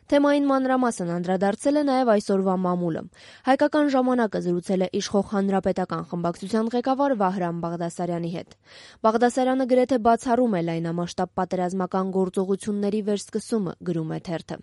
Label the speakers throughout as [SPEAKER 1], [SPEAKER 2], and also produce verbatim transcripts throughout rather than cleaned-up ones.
[SPEAKER 1] Թեմային մանրամասն անդրադարձել է նաև այսօրվա մամուլը։ Հայկական ժամանակը զրուցել է իշխող հանրապետական խմբակցության ղեկավար Վահրամ Բաղդասարյանի հետ։ Բաղդասարյանը գրեթե բացառում է լայնամասշտաբ պատերազմական գործողությունների վերսկսումը, գրում է թերթը։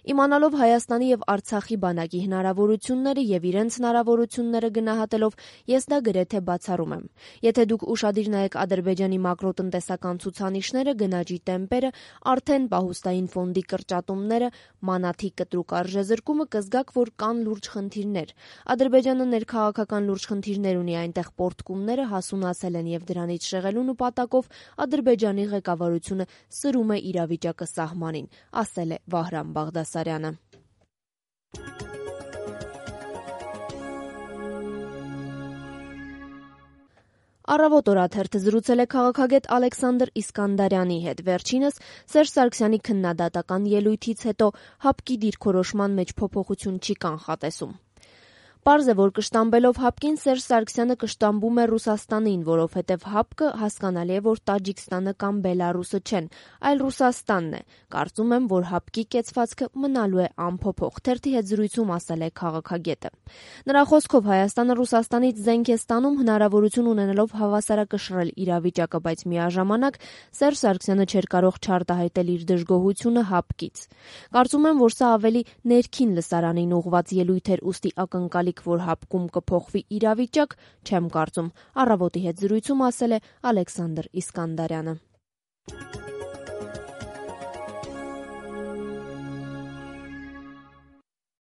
[SPEAKER 1] Իմանալով Հայաստանի եւ Արցախի բանակի հնարավորությունները եւ իրենց հնարավորությունները գնահատելով, ես դա գրեթե բացառում եմ։ Եթե դուք ուշադիր նայեք Ադրբեջանի մակրոտնտեսական ցուցանիշները, գնաճի տեմպերը, արդեն պահուստային ֆոնդի կրճատումները, մանաթի կտրուկ արժեզրկումը, կզգաք, որ կան լուրջ խնդիրներ։ Ադրբեջանը ներքաղաքական լուրջ խնդիրներ ունի, այնտեղ պոռթկումները հասունացել են եւ դրանից շեղելու նպատակով Ադրբեջանի ղեկավարությունը սրում է իրավիճակը սահմանին, ասել է Վահրամ Բաղդասարյանը։ Առավոտ օրաթերթը զրուցել է քաղաքագետ Ալեքսանդր Իսկանդարյանի հետ։ Վերջինս Սերժ Սարգսյանի քննադատական ելույթից հետո ՀԱՊԿ-ի դիրքորոշման մեջ փոփոխություն չի կանխատեսում։ Պարզ է, որ կշտամբելով ՀԱՊԿ-ին Սերժ Սարգսյանը կշտամբում է Ռուսաստանին, որովհետև ՀԱՊԿ հասկանալի է, որ Տաջիկստանը կամ Բելարուսը չեն, այլ Ռուսաստանն է։ Կարծում եմ, որ ՀԱՊԿ-ի կեցվածքը մնալու է անփոփոխ, թերթի հետ զրույցում ասել է քաղաքագետը։ Նրա խոսքով Հայաստանը Ռուսաստանից զենք է ստանում հնարավորություն ունենալով հավասարակշռել իրավիճակը, բայց միաժամանակ Սերժ Սարգսյանը չէր կարող չարտահայտել իր դժգոհությունը ՀԱՊԿ-ից։ Կարծում եմ, որ սա ավելի ներքին լսարանին ուղղված ելույթ էր, ուստի ակնկալիք, որ ՀԱՊԿ-ում կփոխվի իրավիճակ, չեմ կարծում, Առավոտի հետ զրույցում ասել է Ալեքսանդր Իսկանդարյանը։